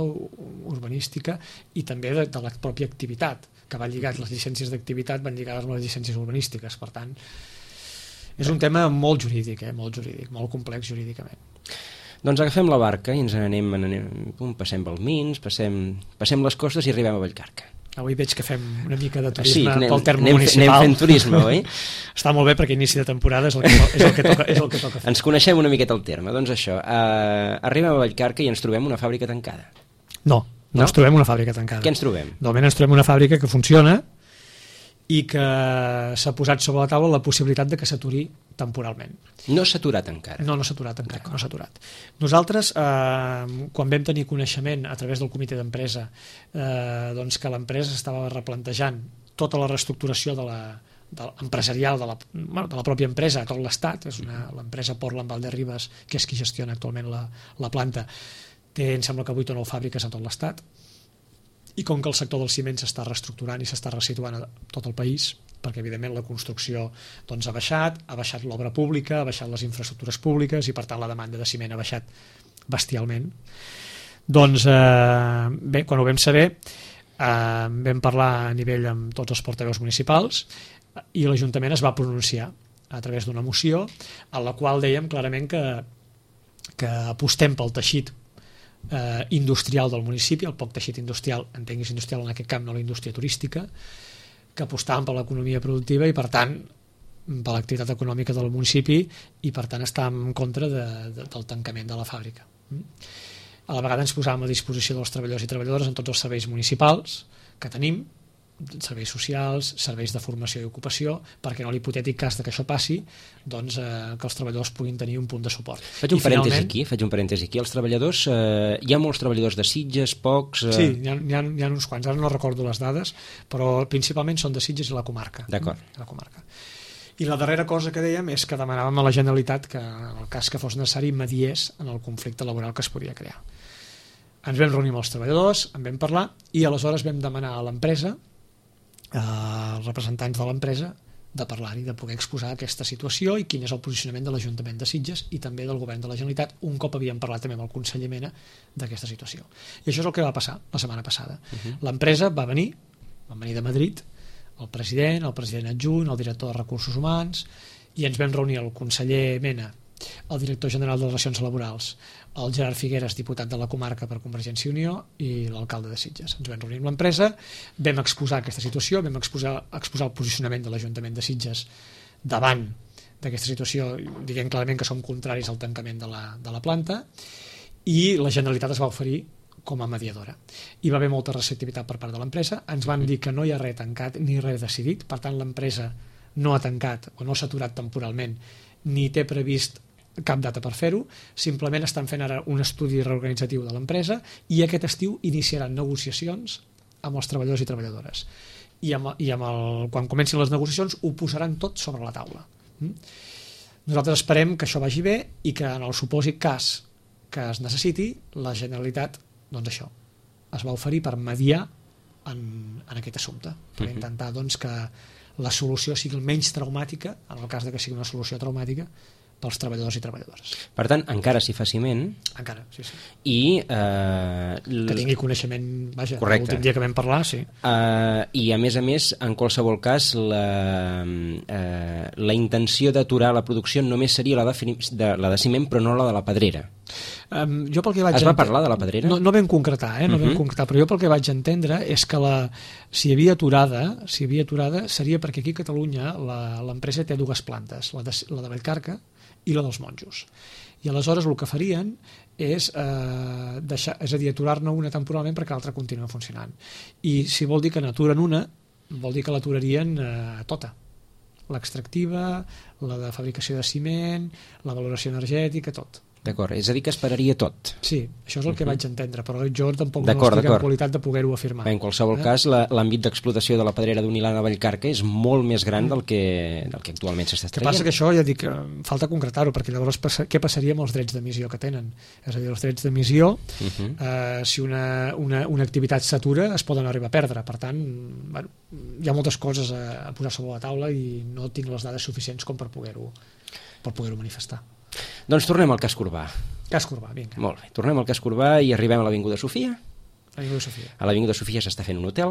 urbanística i també de, de la pròpia activitat, que va lligat, les llicències d'activitat van lligades amb les llicències urbanístiques. Per tant, és un tema molt jurídic, eh? molt jurídic, molt complex jurídicament. Doncs agafem la barca i ens anem, anem passem Balmins, passem, passem les costes i arribem a Vallcarca. Avui veig que fem una mica de turisme sí, anem, pel terme anem, municipal. Anem fent turisme, oi? Està molt bé perquè inici de temporada és el que, és el que, toca, és el que toca fer. Ens coneixem una miqueta el terme. Doncs això, uh, arribem a Vallcarca i ens trobem una fàbrica tancada. No, no, no ens trobem una fàbrica tancada. Què ens trobem? Normalment ens trobem una fàbrica que funciona i que s'ha posat sobre la taula la possibilitat de que s'aturi temporalment. No s'ha aturat encara? No, no s'ha aturat encara, no s'ha aturat. Nosaltres, eh, quan vam tenir coneixement a través del comitè d'empresa eh, doncs que l'empresa estava replantejant tota la reestructuració de la, de, empresarial de la, bueno, de la pròpia empresa a tot l'Estat, és una, l'empresa Portland Valderribes, que és qui gestiona actualment la, la planta, té, em sembla que vuit o nou fàbriques a tot l'Estat, i com que el sector del ciment s'està reestructurant i s'està resituant a tot el país, perquè evidentment la construcció doncs, ha baixat, ha baixat l'obra pública, ha baixat les infraestructures públiques i per tant la demanda de ciment ha baixat bestialment. Doncs eh, bé, quan ho vam saber eh, vam parlar a nivell amb tots els portaveus municipals i l'Ajuntament es va pronunciar a través d'una moció en la qual dèiem clarament que, que apostem pel teixit Eh, industrial del municipi, el poc teixit industrial, entenguis industrial en aquest camp, no la indústria turística, que apostàvem per l'economia productiva i per tant per l'activitat econòmica del municipi i per tant estàvem en contra de, de, del tancament de la fàbrica. A la vegada ens posàvem a disposició dels treballadors i treballadores en tots els serveis municipals que tenim, serveis socials, serveis de formació i ocupació, perquè en l'hipotètic cas de que això passi, doncs eh, que els treballadors puguin tenir un punt de suport. Faig un I parèntesi finalment... aquí, faig un parèntesi aquí. Els treballadors, eh, hi ha molts treballadors de Sitges, pocs... Eh... Sí, hi ha, hi, ha, hi ha uns quants, ara no recordo les dades, però principalment són de Sitges i la comarca. D'acord. La comarca. I la darrera cosa que dèiem és que demanàvem a la Generalitat que, en el cas que fos necessari, mediés en el conflicte laboral que es podia crear. Ens vam reunir amb els treballadors, en vam parlar, i aleshores vam demanar a l'empresa, als representants de l'empresa, de parlar-hi, de poder exposar aquesta situació i quin és el posicionament de l'Ajuntament de Sitges i també del Govern de la Generalitat, un cop havíem parlat també amb el conseller Mena d'aquesta situació. I això és el que va passar la setmana passada. Uh-huh. L'empresa va venir, va venir de Madrid, el president, el president adjunt, el director de Recursos Humans, i ens vam reunir el conseller Mena, el director general de Relacions Laborals, el Gerard Figueres, diputat de la comarca per Convergència i Unió, i l'alcalde de Sitges. Ens vam reunir amb l'empresa, vam exposar aquesta situació, vam exposar, exposar el posicionament de l'Ajuntament de Sitges davant d'aquesta situació, diguem clarament que som contraris al tancament de la, de la planta, i la Generalitat es va oferir com a mediadora. Hi va haver molta receptivitat per part de l'empresa, ens van dir que no hi ha res tancat ni res decidit, per tant l'empresa no ha tancat o no s'ha aturat temporalment ni té previst cap data per fer-ho, simplement estan fent ara un estudi reorganitzatiu de l'empresa i aquest estiu iniciaran negociacions amb els treballadors i treballadores. I, amb, i amb el, quan comencin les negociacions ho posaran tot sobre la taula. Nosaltres esperem que això vagi bé i que en el supòsit cas que es necessiti, la Generalitat, doncs això, es va oferir per mediar en, en aquest assumpte, per Uh-huh. intentar doncs, que la solució sigui el menys traumàtica, en el cas de que sigui una solució traumàtica, pels treballadors i treballadores. Per tant, encara s'hi fa ciment Encara, sí, sí. i... Eh, l- Que tingui coneixement, vaja, Correcte. l'últim dia que vam parlar, sí. Uh, i a més a més, en qualsevol cas la, uh, la intenció d'aturar la producció només seria la de, fini- de, la de ciment però no la de la pedrera. Um, jo pel que vaig Es va ente- parlar de la pedrera? No, no vam concretar, eh? no Uh-huh. vam concretar, però jo pel que vaig entendre és que la, si hi havia aturada, si hi havia aturada seria perquè aquí a Catalunya la- l'empresa té dues plantes, la de, la de Vallcarca i la dels Monjos. I aleshores el que farien és, eh, deixar, és a dir, aturar-ne una temporalment perquè l'altra continua funcionant. I si vol dir que n'aturen una, vol dir que l'aturarien eh, tota. L'extractiva, la de fabricació de ciment, la valoració energètica, tot. D'acord, és a dir que es pararia tot. Sí, això és el que Uh-huh. vaig entendre, però jo tampoc no D'acord, estic en d'acord. qualitat de poder-ho afirmar. En qualsevol Eh? cas, la- l'àmbit d'explotació de la pedrera d'Unilana Vallcarca és molt més gran del que, del que actualment s'està El que extraient. passa que això, ja dic, eh, falta concretar-ho, perquè llavors passa, què passaria amb els drets d'emissió que tenen? És a dir, els drets d'emissió, Uh-huh. eh, si una, una, una activitat s'atura, es poden arribar a perdre. Per tant, bueno, hi ha moltes coses a, a posar sobre la taula i no tinc les dades suficients com per poder-ho per poder-ho manifestar. Doncs tornem al casc urbà. Cas Corbà, vinga. Molt bé, tornem al casc urbà i arribem a l'Avinguda Sofia. Avinguda Sofia. A l'Avinguda Sofia s'està fent un hotel.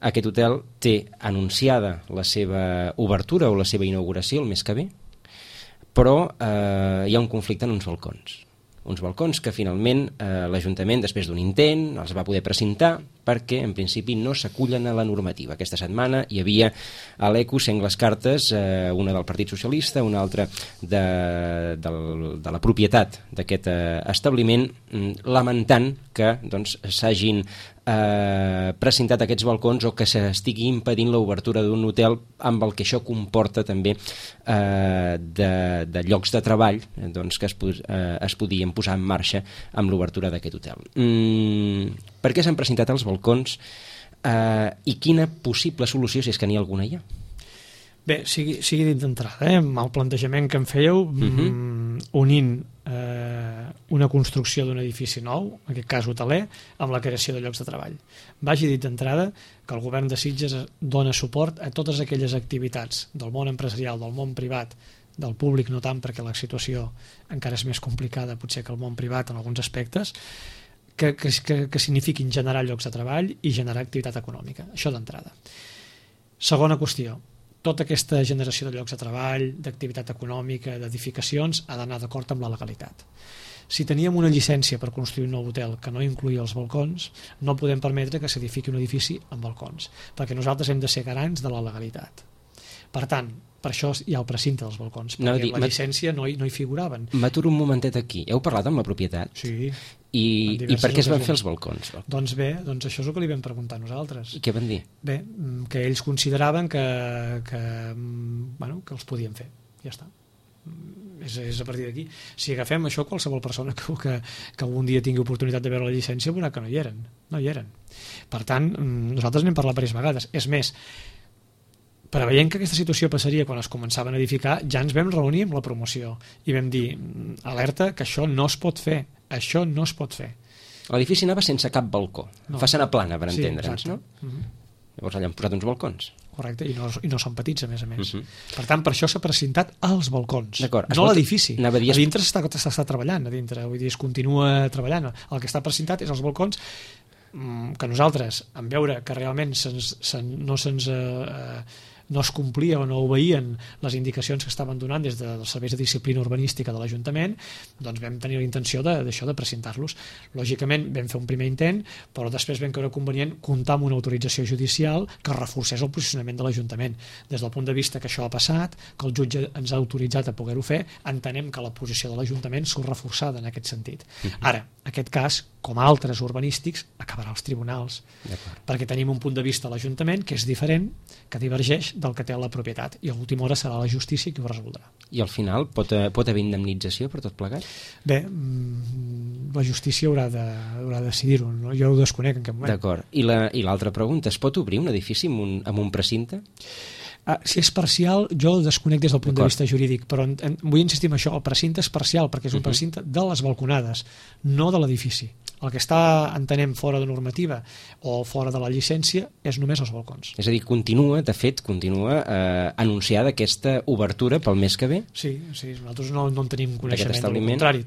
Aquest hotel té anunciada la seva obertura o la seva inauguració el mes que ve, però eh, hi ha un conflicte en uns balcons. Uns balcons que finalment eh, l'Ajuntament, després d'un intent, els va poder precintar perquè en principi no s'acullen a la normativa. Aquesta setmana hi havia a l'Eco sengles cartes, eh, una del Partit Socialista, una altra de, de, de la propietat d'aquest eh, establiment, mm, lamentant que doncs, s'hagin eh, precintat aquests balcons o que s'estigui impedint l'obertura d'un hotel amb el que això comporta també eh, de, de llocs de treball eh, doncs, que es, pos, eh, es podien posar en marxa amb l'obertura d'aquest hotel. Mm, per què s'han precintat els balcons eh, i quina possible solució, si és que n'hi ha alguna ja? Bé, sigui, sigui dit d'entrada, eh, amb el plantejament que em fèieu, Uh-huh. mm, unint eh, una construcció d'un edifici nou, en aquest cas hoteler, amb la creació de llocs de treball. Vagi dit d'entrada que el govern de Sitges dona suport a totes aquelles activitats del món empresarial, del món privat, del públic no tant perquè la situació encara és més complicada potser que el món privat en alguns aspectes, que, que, que, que signifiquin generar llocs de treball i generar activitat econòmica. Això d'entrada. Segona qüestió, tota aquesta generació de llocs de treball, d'activitat econòmica, d'edificacions, ha d'anar d'acord amb la legalitat. Si teníem una llicència per construir un nou hotel que no incluïa els balcons, no podem permetre que s'edifiqui un edifici amb balcons, perquè nosaltres hem de ser garants de la legalitat. Per tant, per això hi ha el precinte dels balcons, perquè No, no, di- la llicència no hi, no hi figuraven. M'aturo un momentet aquí. Heu parlat amb la propietat? Sí. I, En i diverses per què es van ocasions. fer els balcons? Doncs bé, doncs això és el que li vam preguntar nosaltres. I què van dir? Bé, mm, que ells consideraven que, que, mm, bueno, que els podien fer. Ja està. Mm, És, és a partir d'aquí. Si agafem això, qualsevol persona que, que, que algun dia tingui oportunitat de veure la llicència veurà que no hi eren. No hi eren. Per tant, mm, nosaltres n'hem parlat diverses vegades. És més, preveient que aquesta situació passaria quan es començaven a edificar, ja ens vam reunir amb la promoció i vam dir, mm, alerta, que això no es pot fer. Això no es pot fer. L'edifici anava sense cap balcó. No. Façana plana, per Sí, entendre'ns, exacte. no? Mhm. Llavors allà han posat uns balcons. Correcte, i no, i no són petits, a més a més. Mhm. Per tant, per això s'ha precintat als balcons, D'acord, es no pot- l'edifici. anava a dir- A dintre s'està s'està treballant, a dintre, vull dir, es continua treballant. El que està precintat és els balcons, mm, que nosaltres, en veure que realment se'ns, se'n, no se'ns... Eh, eh, no es complia o no obeïen les indicacions que estaven donant des dels serveis de disciplina urbanística de l'Ajuntament, doncs vam tenir la intenció de- d'això, de precintar-los. Lògicament vam fer un primer intent, però després vam creure convenient comptar amb una autorització judicial que reforcés el posicionament de l'Ajuntament. Des del punt de vista que això ha passat, que el jutge ens ha autoritzat a poder-ho fer, entenem que la posició de l'Ajuntament surt reforçada en aquest sentit. Ara, aquest cas, com altres urbanístics, acabarà als tribunals, D'acord. perquè tenim un punt de vista a l'Ajuntament que és diferent, que divergeix del que té la propietat, i a l'última hora serà la justícia qui ho resoldrà. I al final pot, eh, pot haver indemnització per tot plegat? Bé, mm, la justícia haurà de, haurà de decidir-ho, no? Jo ho desconec en cap moment. D'acord. I la- i l'altra pregunta, es pot obrir un edifici amb un, amb un precinte? Ah, si és parcial, jo el desconec des del punt de D'acord. vista jurídic, però en, en, vull insistir en això, el precinte és parcial, perquè és un Mhm. precinte de les balconades, no de l'edifici. El que està, entenem, fora de normativa o fora de la llicència és només els balcons. És a dir, continua, de fet, continua eh, anunciada aquesta obertura pel mes que ve? Sí, sí, nosaltres no, no en tenim coneixement, al contrari.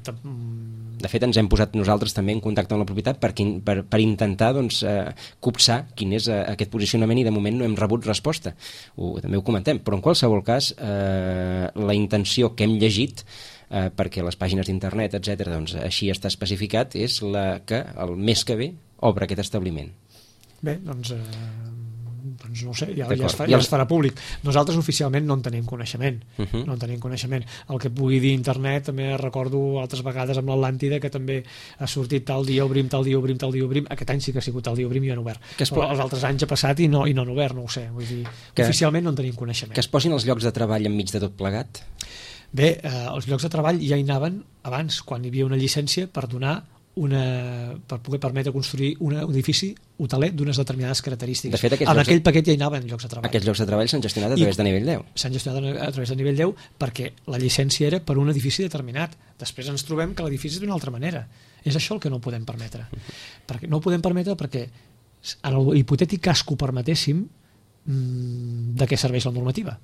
De fet, ens hem posat nosaltres també en contacte amb la propietat per, per, per intentar doncs, eh, copsar quin és eh, aquest posicionament i de moment no hem rebut resposta. Ho, també ho comentem, però en qualsevol cas eh, la intenció que hem llegit eh, perquè les pàgines d'internet, etcètera, doncs així està especificat, és la que el mes que ve obre aquest establiment. Bé, doncs, eh, doncs no ho sé, ja, ja, es fa, ja es farà públic. Nosaltres oficialment no en tenim coneixement. Uh -huh. No en tenim coneixement. El que pugui dir internet, també recordo altres vegades amb l'Atlàntida que també ha sortit tal dia obrim, tal dia obrim, tal dia obrim. Aquest any sí que ha sigut tal dia obrim i han obert. Que es po... Els altres anys ha passat i no, i no han obert, no ho sé. Vull dir, que, oficialment no en tenim coneixement. Que es posin els llocs de treball enmig de tot plegat? Bé, eh, els llocs de treball ja hi anaven abans, quan hi havia una llicència per donar una, per poder permetre construir un edifici hoteler d'unes determinades característiques. De fet, en aquell de... paquet ja hi anaven llocs de treball. Aquests llocs de treball s'han gestionat a través I de nivell deu. S'han gestionat a través de nivell deu perquè la llicència era per un edifici determinat. Després ens trobem que l'edifici és d'una altra manera. És això el que no podem permetre. Uh-huh. Perquè, no ho podem permetre perquè en el hipotètic cas que ho permetéssim, mmm, de què serveix la normativa?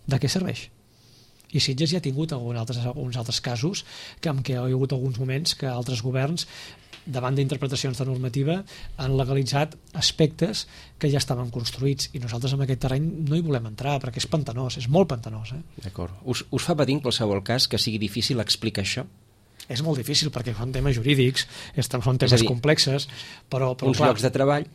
De què serveix? I Sitges ja ha tingut alguns altres, alguns altres casos que, en què hi ha hagut alguns moments que altres governs, davant d'interpretacions de normativa, han legalitzat aspectes que ja estaven construïts i nosaltres en aquest terreny no hi volem entrar perquè és pantanós, és molt pantanós. Eh? D'acord. Us, us fa patir en qualsevol cas que sigui difícil explicar això? És molt difícil perquè són temes jurídics, són temes dir, complexes, però... però uns clar, llocs de treball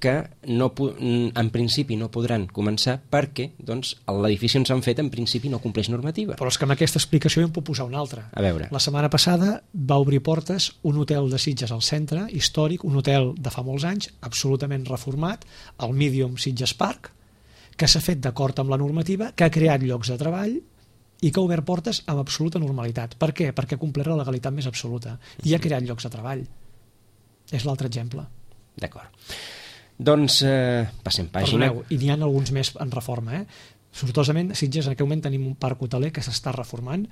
que no, en principi no podran començar perquè doncs, l'edifici on s'han fet en principi no compleix normativa. Però és que amb aquesta explicació jo em puc posar una altra. A veure. La setmana passada va obrir portes un hotel de Sitges al centre, històric, un hotel de fa molts anys, absolutament reformat, el Medium Sitges Park, que s'ha fet d'acord amb la normativa, que ha creat llocs de treball i que ha obert portes amb absoluta normalitat. Per què? Perquè ha complert la legalitat més absoluta i ha creat llocs de treball. És l'altre exemple. D'acord. Doncs eh, passem pàgina. Perdoneu, i n'hi ha alguns més en reforma, eh? Sortosament, a Sitges en aquest moment tenim un parc hoteler que s'està reformant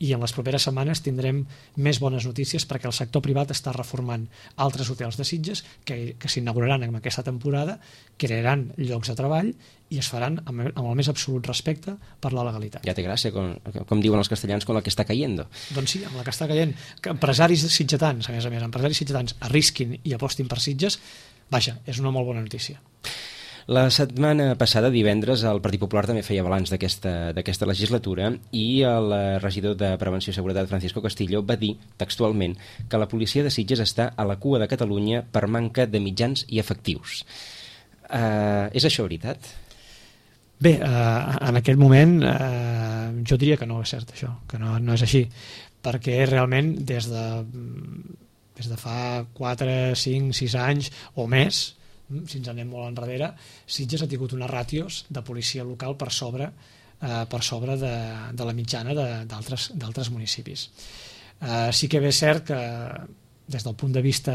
i en les properes setmanes tindrem més bones notícies perquè el sector privat està reformant altres hotels de Sitges que, que s'inauguraran en aquesta temporada, crearan llocs de treball i es faran amb, amb el més absolut respecte per la legalitat. Ja té gràcia, com, com diuen els castellans, con la que està caient. Doncs sí, amb la que està caient. Que empresaris sitgetans, a més a més, empresaris sitgetans arrisquin i apostin per Sitges, vaja, és una molt bona notícia. La setmana passada, divendres, el Partit Popular també feia balanç d'aquesta legislatura i el regidor de Prevenció i Seguretat, Francisco Castillo, va dir textualment que la policia de Sitges està a la cua de Catalunya per manca de mitjans i efectius. Uh, és això veritat? Bé, uh, en aquest moment uh, jo diria que no és cert això, que no, no és així, perquè realment des de, des de fa quatre, cinc, sis anys o més, si ens anem molt enrere, Sitges ha tingut unes ràtios de policia local per sobre, eh, per sobre de, de la mitjana d'altres municipis. Eh, sí que bé és cert que des del punt de vista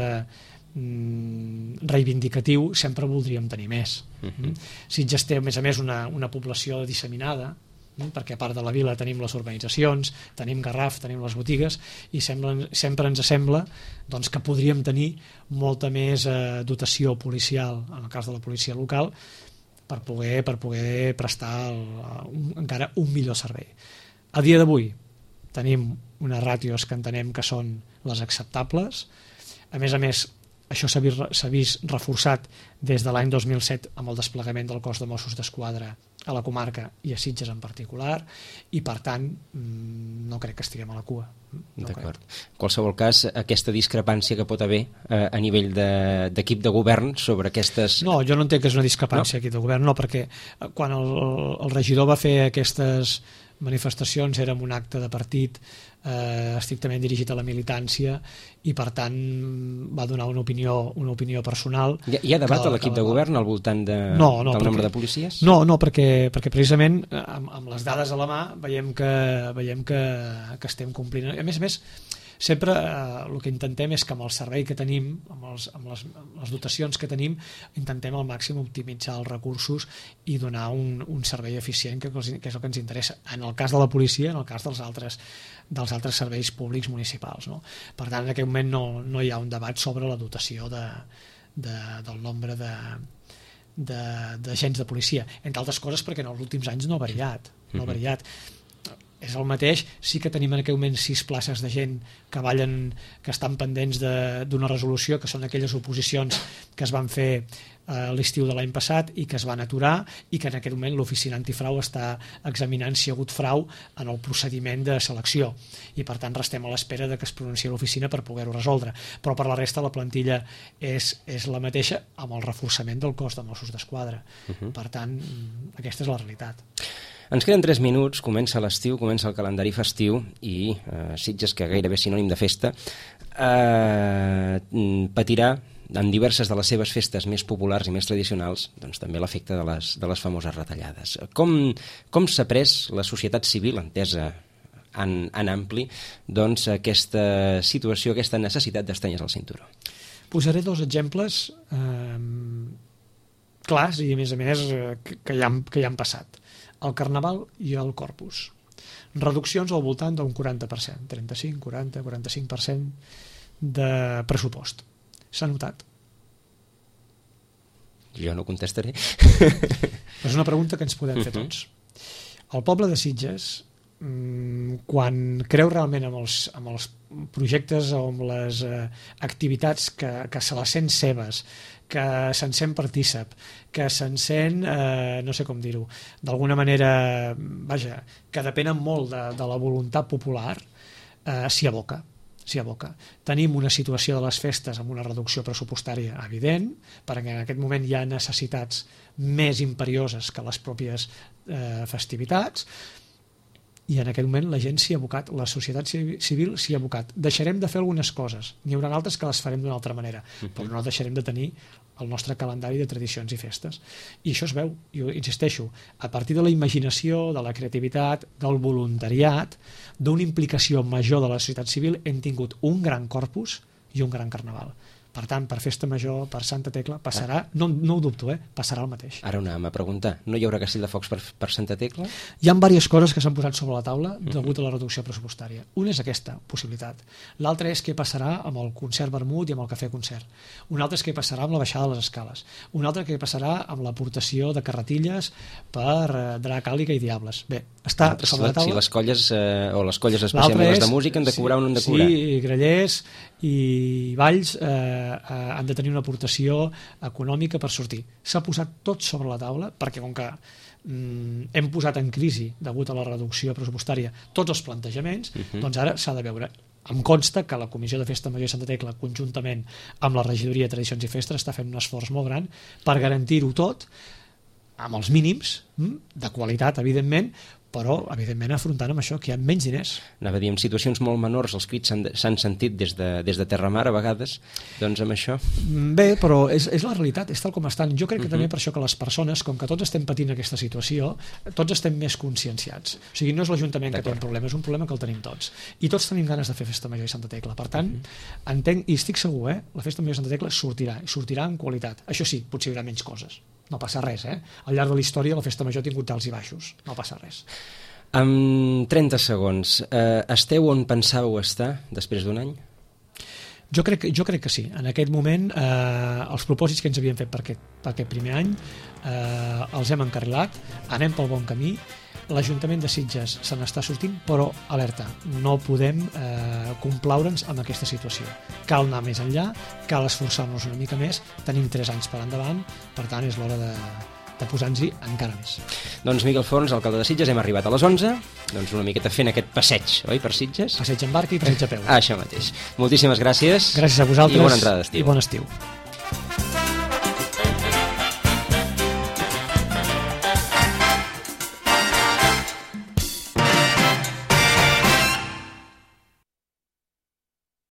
mm, reivindicatiu sempre voldríem tenir més. Uh-huh. Sitges té a més a més una, una població disseminada, perquè a part de la vila tenim les urbanitzacions, tenim Garraf, tenim les botigues i sembla, sempre ens sembla doncs, que podríem tenir molta més eh, dotació policial, en el cas de la policia local, per poder, per poder prestar el, un, encara un millor servei. A dia d'avui tenim unes ràtios que entenem que són les acceptables. A més a més, això s'ha vist, s'ha vist reforçat des de l'any dos mil set amb el desplegament del cos de Mossos d'Esquadra a la comarca i a Sitges en particular i per tant no crec que estiguem a la cua. No D'acord. En qualsevol cas, aquesta discrepància que pot haver eh, a nivell d'equip de, de govern sobre aquestes... No, jo no entenc que és una discrepància no? Equip de govern, no, perquè quan el, el regidor va fer aquestes manifestacions era un acte de partit eh, estrictament dirigit a la militància i per tant va donar una opinió, una opinió personal. Hi ha, hi ha debat a l'equip de govern al voltant de, no, no, del perquè, nombre de policies? No, no, perquè, perquè precisament amb, amb les dades a la mà veiem que, veiem que, que estem complint. A més a més, Sempre eh, el que intentem és que amb el servei que tenim, amb, els, amb les, les dotacions que tenim, intentem al màxim optimitzar els recursos i donar un, un servei eficient, que, que és el que ens interessa. En el cas de la policia, en el cas dels altres, dels altres serveis públics municipals. No? Per tant, en aquest moment no, no hi ha un debat sobre la dotació de, de, del nombre de d'agents de, de policia, entre altres coses perquè en els últims anys no ha variat, no ha variat. És el mateix, sí que tenim en aquell moment sis places de gent que ballen, que estan pendents d'una resolució, que són aquelles oposicions que es van fer a l'estiu de l'any passat i que es van aturar, i que en aquest moment l'oficina antifrau està examinant si hi ha hagut frau en el procediment de selecció, i per tant restem a l'espera de que es pronunciï l'oficina per poder-ho resoldre, però per la resta la plantilla és, és la mateixa, amb el reforçament del cos de Mossos d'Esquadra. Uh-huh. Per tant, aquesta és la realitat. Ens queden tres minuts, comença l'estiu, comença el calendari festiu i eh, Sitges, que gairebé és sinònim de festa, eh, patirà en diverses de les seves festes més populars i més tradicionals, doncs també l'efecte de les, de les famoses retallades. Com, com s'ha pres la societat civil, entesa en, en ampli, doncs aquesta situació, aquesta necessitat d'estrenyes al cinturó? Posaré dos exemples eh, clars i a més a més que, que, ja han, que ja han passat. El Carnaval i el Corpus. Reduccions al voltant d'un quaranta per cent, trenta-cinc, quaranta, quaranta-cinc per cent de pressupost. S'ha notat? Jo no contestaré. És una pregunta que ens podem fer tots. El poble de Sitges, quan creu realment en els, en els projectes o en les eh, activitats que, que se les sent seves, que se'n sent partícip, que se'n sent, eh, no sé com dir-ho, d'alguna manera, vaja, que depenen molt de, de la voluntat popular, eh, s'hi aboca. s'hi aboca. Tenim una situació de les festes amb una reducció pressupostària evident, perquè en aquest moment hi ha necessitats més imperioses que les pròpies eh, festivitats, i en aquest moment la gent s'hi ha abocat, la societat civil s'hi ha abocat. Deixarem de fer algunes coses, n'hi haurà altres que les farem d'una altra manera, uh-huh. però no deixarem de tenir el nostre calendari de tradicions i festes. I això es veu, jo insisteixo, a partir de la imaginació, de la creativitat, del voluntariat, d'una implicació major de la societat civil, hem tingut un gran corpus i un gran carnaval. Per tant, per Festa Major, per Santa Tecla, passarà, ah. no, no ho dubto, eh? passarà el mateix. Ara anàvem a preguntar, no hi haurà castell de focs per, per Santa Tecla? Hi ha diverses coses que s'han posat sobre la taula degut a la reducció pressupostària. Una és aquesta possibilitat. L'altra és què passarà amb el concert vermut i amb el cafè concert. Una altra és què passarà amb la baixada de les escales. Una altra què passarà amb l'aportació de carretilles per eh, drac, àliga i diables. Bé, està Altres, sobre la taula. Si les colles, eh, o les colles especialment les de música, han de cobrar sí, o no han de cobrar. Sí, grallers i balls eh, eh, han de tenir una aportació econòmica per sortir. S'ha posat tot sobre la taula perquè com que mm, hem posat en crisi degut a la reducció pressupostària tots els plantejaments, uh-huh. doncs ara s'ha de veure. Em consta que la Comissió de Festa Major i Santa Tecla, conjuntament amb la Regidoria de Tradicions i Festes, està fent un esforç molt gran per garantir-ho tot amb els mínims, de qualitat, evidentment, però, evidentment, afrontant amb això, que hi ha menys diners. Anava a dir, en situacions molt menors els crits s'han sentit des de, des de Terramar, a vegades, doncs amb això... Bé, però és, és la realitat, és tal com estan. Jo crec que uh-huh. també per això que les persones, com que tots estem patint aquesta situació, tots estem més conscienciats. O sigui, no és l'Ajuntament que té un problema, és un problema que el tenim tots. I tots tenim ganes de fer Festa Major i Santa Tecla. Per tant, uh-huh. entenc, i estic segur, eh, la Festa Major i Santa Tecla sortirà, i sortirà en qualitat. Això sí, potser hi haurà menys coses. No passa res, eh? Al llarg de la història la Festa Major ha tingut alts i baixos. No passa res. En trenta segons, eh, esteu on pensàveu estar després d'un any? Jo crec, jo crec que sí. En aquest moment eh, els propòsits que ens havien fet per aquest, per aquest primer any eh, els hem encarrilat, anem pel bon camí. L'Ajuntament de Sitges se n'està sortint, però alerta, no podem eh, complaure'ns amb aquesta situació. Cal anar més enllà, cal esforçar-nos una mica més, tenim tres anys per endavant, per tant és l'hora de, de posar-nos-hi encara més. Doncs Miquel Forns, alcalde de Sitges, hem arribat a les onze, doncs una miqueta fent aquest passeig, oi, per Sitges? Passeig en barca i passeig a peu. Ah, això mateix. Moltíssimes gràcies. Gràcies a vosaltres. I bona entrada d'estiu. I bon estiu.